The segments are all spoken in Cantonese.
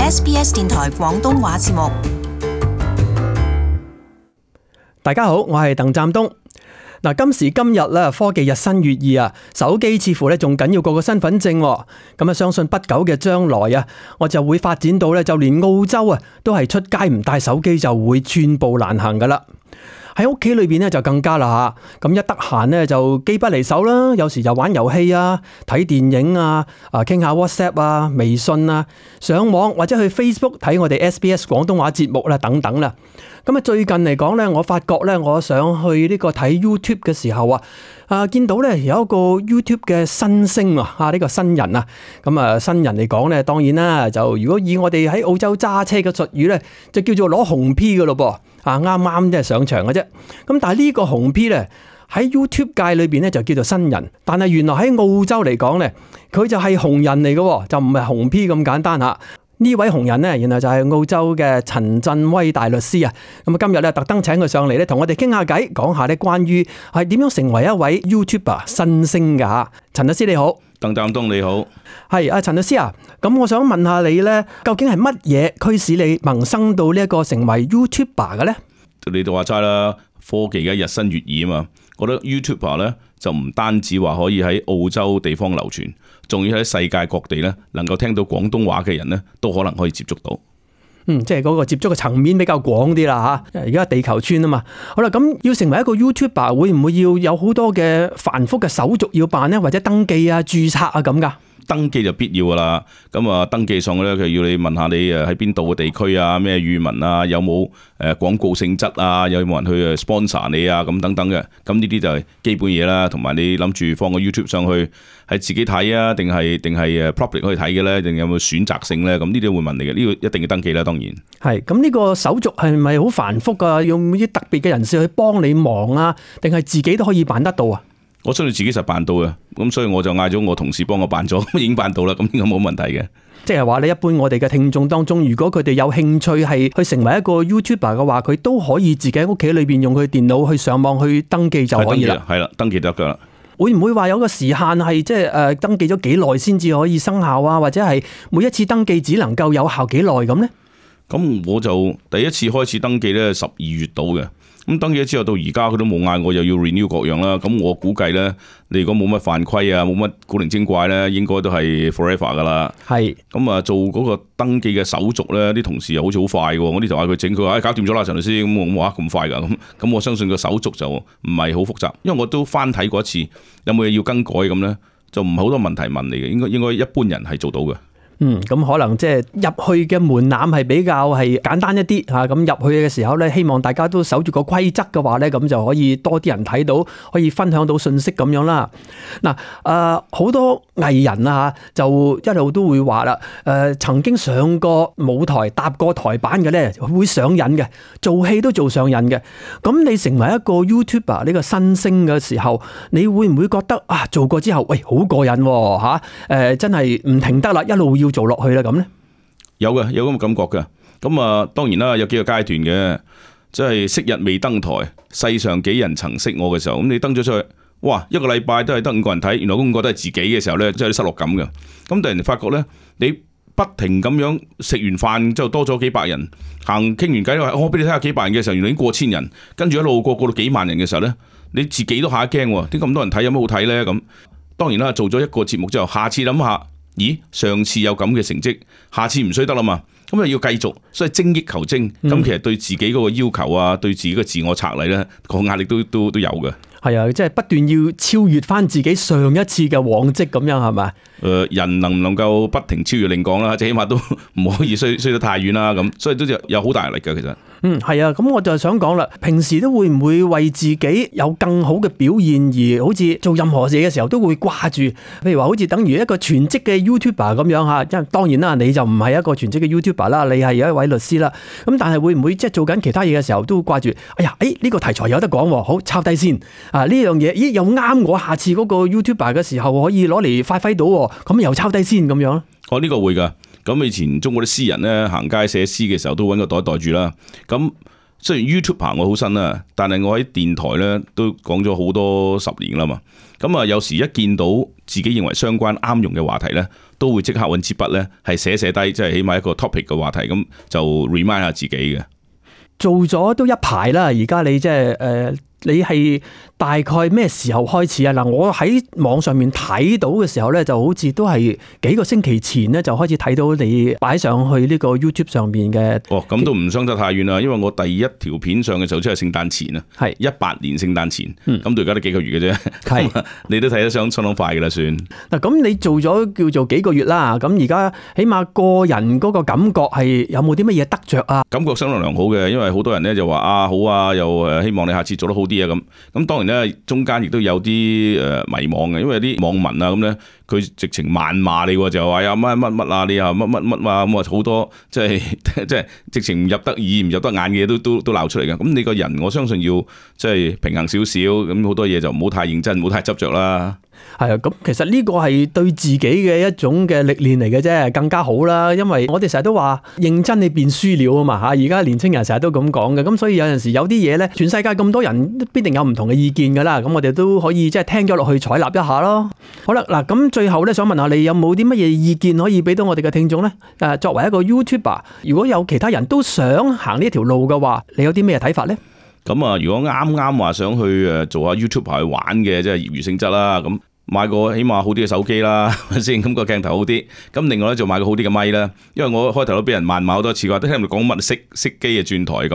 SBS 電台廣東話節目。大家好，我係鄧湛東。嗱，今時今日咧，科技日新月異啊，手機似乎咧仲緊要過個身份證。咁啊，相信不久嘅將來啊，我就會發展到咧，就連澳洲啊，都係出街唔帶手機就會寸步難行噶啦。喺屋企裏邊咧就更加啦吓，咁一得閒咧就機不離手啦，有時就玩遊戲啊、睇電影啊、傾下 WhatsApp 啊、微信啊、上網或者去 Facebook 睇我哋 SBS 廣東話節目啦等等啦。咁啊，最近嚟講咧，我發覺咧，我想去呢個睇 YouTube 嘅時候見到咧有一個 YouTube 嘅新星呢個新人啊，咁啊新人嚟講咧，當然啦，就如果以我哋喺澳洲揸車嘅術語咧，就叫做攞紅 P 噶咯噃，啱啱即係上場嘅啫。咁但係呢個紅 P 咧喺 YouTube 界裏邊咧就叫做新人，但係原來喺澳洲嚟講咧，佢就係紅人嚟嘅，就唔係紅 P 咁簡單吓。呢位紅人呢，原來就係澳洲嘅陳振威大律師啊！咁啊，今日咧特登請佢上嚟咧，同我哋傾下偈，講下咧關於係點樣成為一位 YouTuber 新星㗎吓。陳律師你好，鄧湛東你好，係陳律師啊！咁我想問下你咧，究竟係乜嘢驅使你萌生到呢一個成為 YouTuber 嘅咧？你就話齋啦，科技嘅日新月異啊嘛，覺得 YouTuber 咧就唔單止話可以喺澳洲地方流傳，仲要喺世界各地咧能夠聽到廣東話嘅人咧，都可能可以接觸到。即係嗰個接觸嘅層面比較廣啲啦吓。而家地球村啊嘛，好啦，咁要成為一個 YouTuber，會唔會要有好多嘅繁複嘅手續要辦呢？或者登記啊、註冊啊咁噶？登記就必要噶啦，咁啊登記上咧，佢要你問下你喺邊度嘅地區啊，咩語文啊，有冇廣告性質啊，有冇人去 sponsor 你啊，咁等等嘅，咁呢啲就係基本嘢啦。同埋你諗住放個 YouTube 上去係自己睇啊，定係 public 可以睇嘅咧，定有冇選擇性咧？咁呢啲會問你嘅，呢個一定要登記啦，當然係。咁呢個手續係咪好繁複啊？用啲特別嘅人士去幫你忙啊，定係自己都可以辦得到啊？我相信自己實辦到嘅，咁所以我就嗌咗我同事幫我辦咗，已經辦到啦，咁應該冇問題嘅。即係話你一般我哋嘅聽眾當中，如果佢哋有興趣係去成為一個 YouTuber 嘅話，佢都可以自己喺屋企裏邊用佢電腦去上網去登記就可以啦。係啦，登記得噶啦。會唔會話有個時限係即係登記咗幾耐先至可以生效啊？或者係每一次登記只能夠有效幾耐咁呢？咁我就第一次開始登記咧，12月到嘅。咁登記咗之後到而家佢都冇嗌我又要 renew 各樣啦，咁我估計咧，你如果冇乜犯規啊，冇乜古靈精怪咧，應該都係 forever 噶啦。係咁啊，做嗰個登記嘅手續咧，啲同事又好似好快嘅，我呢頭嗌佢整，佢話搞掂咗啦，陳律師，咁我話咁快噶，咁我相信個手續就唔係好複雜，因為我都翻睇過一次，有冇嘢要更改咁咧，就唔係好多問題問你嘅，應該一般人係做到嘅。咁可能即係入去嘅門檻係比較係簡單一啲吓，咁入去嘅時候咧，希望大家都守住個規則嘅話咧，咁就可以多啲人睇到，可以分享到信息咁樣啦。嗱，好多藝人啊就一路都會話啦，曾經上過舞台、搭過台板嘅咧，會上癮嘅，做戲都做上癮嘅。咁你成為一個 YouTuber 呢個新星嘅時候，你會唔會覺得做過之後，喂，好過癮吓，真係唔停得啦，一路要做落去啦咁咧？有嘅，有咁嘅感覺嘅。咁啊，當然啦，有幾個階段嘅，即係昔日未登台，世上幾人曾識我嘅時候，咁你登咗出去，哇，一個禮拜都係得5個人睇，原來嗰5個都係自己嘅時候咧，真係有啲失落感嘅。咁突然發覺咧，你不停咁樣食完飯之後多咗幾百人，行傾完偈話我俾你睇下幾百人嘅時候，原來已經過千人，跟住一路過到幾萬人嘅時候咧，你自己都嚇一驚喎，點咁多人睇有乜好睇咧？咁當然啦，做咗一個節目之後，下次諗下。咦，上次有咁嘅成績，下次唔衰得啦嘛，咁又要繼續，所以精益求精。咁其實對自己嗰個要求啊，對自己嘅自我策勵咧，個壓力都有嘅。係啊，即係不斷要超越翻自己上一次嘅往績咁樣係咪？人能唔能夠不停超越另講啦，即係起碼都唔可以衰得太遠啦咁，所以都有好大壓力嘅其實。係啊，咁我就想講啦，平時都會唔會為自己有更好嘅表現而好似做任何嘢嘅時候都會掛住，譬如話好似等於一個全職嘅 YouTuber 咁樣吓，因為當然啦，你就唔係一個全職嘅 YouTuber 啦，你係一位律師啦，咁但係會唔會即係做緊其他嘢嘅時候都會掛住，哎呀，呢個題材有得講，好抄低先啊，呢樣嘢，咦又啱我下次嗰個 YouTuber 嘅時候可以攞嚟發揮到，咁又抄低先咁樣。呢個會噶。咁以前中國啲詩人咧行街寫詩嘅時候都揾個袋袋住啦。咁雖然 YouTuber 我好新啦，但係我喺電台咧都講咗好多10年啦嘛。咁啊，有時一見到自己認為相關啱用嘅話題咧，都會即刻揾支筆咧，係寫低，即係起碼一個 topic 嘅話題，咁就 remind 下自己嘅。做咗都一排啦，而家你即係你係大概咩時候開始啊？嗱，我喺網上面睇到嘅時候咧，就好似都係幾個星期前咧就開始睇到你擺上去呢個 YouTube 上面嘅。哦，咁都唔相得太遠啦，因為我第一條片上嘅時候即係聖誕前啊，係18年聖誕前，咁到而家都幾個月嘅啫。係你都睇得相當快嘅啦，算。嗱，咁你做咗叫做幾個月啦，咁而家起碼個人嗰個感覺係有冇啲乜嘢得着啊？感覺相當良好嘅，因為好多人咧就話啊好啊，又希望你下次做得好啲啊咁當然咧，中間亦都有啲迷惘嘅，因為啲網民啊咁咧，佢直情謾罵你喎，就話呀乜啊，你啊乜啊咁啊，好多即係直情唔入得耳唔入得眼嘅嘢都鬧出嚟嘅。咁你個人我相信要即係平衡少少，咁好多嘢就唔好太認真，唔好太執着啦。係啊，咁其實呢個係對自己嘅一種嘅歷練嚟嘅啫，更加好啦。因為我哋成日都話認真你變輸了啊嘛嚇，而家年青人成日都咁講嘅，咁所以有陣時有啲嘢咧，全世界咁多人必定有唔同嘅意見噶啦，咁我哋都可以即係聽咗落去採納一下咯。好啦，嗱咁最後咧想問下你有冇啲乜嘢意見可以俾到我哋嘅聽眾咧？作為一個 YouTuber， 如果有其他人都想行呢條路嘅話，你有啲咩睇法咧？咁啊，如果啱話想去做下 YouTuber 去玩嘅，即係業餘性質啦，咁買個起碼好啲嘅手機啦，係咪先？咁個鏡頭好啲，咁另外咧就買個好啲嘅咪啦。因為我開頭都俾人謾罵好多次，話都聽唔到講乜熄機嘅轉台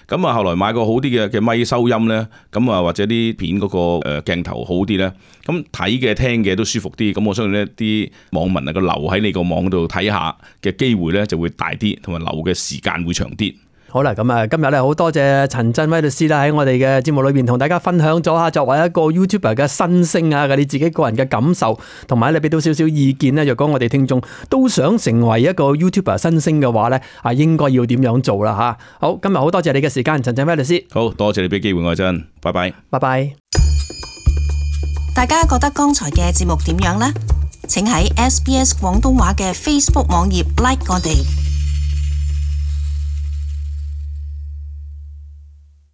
咁啊，後來買個好啲嘅咪收音咧，咁啊或者啲片嗰個鏡頭好啲咧，咁睇嘅聽嘅都舒服啲。咁我相信呢啲網民啊個留喺你個網度睇下嘅機會咧就會大啲，同埋留嘅時間會長啲。好啦，咁啊，今日咧好多謝陳振威律師啦，喺我哋嘅節目裏邊同大家分享咗下作為一個 YouTuber 嘅新星啊，你自己個人嘅感受，同埋你俾到少少意見咧。若果我哋聽眾都想成為一個 YouTuber 新星嘅話咧，應該要點樣做啦吓？好，今日好多謝你嘅時間，陳振威律師。好多謝你俾機會我真，拜拜。拜拜。大家覺得剛才嘅節目點樣呢？請喺SBS 廣東話嘅 Facebook 網頁 like 我哋。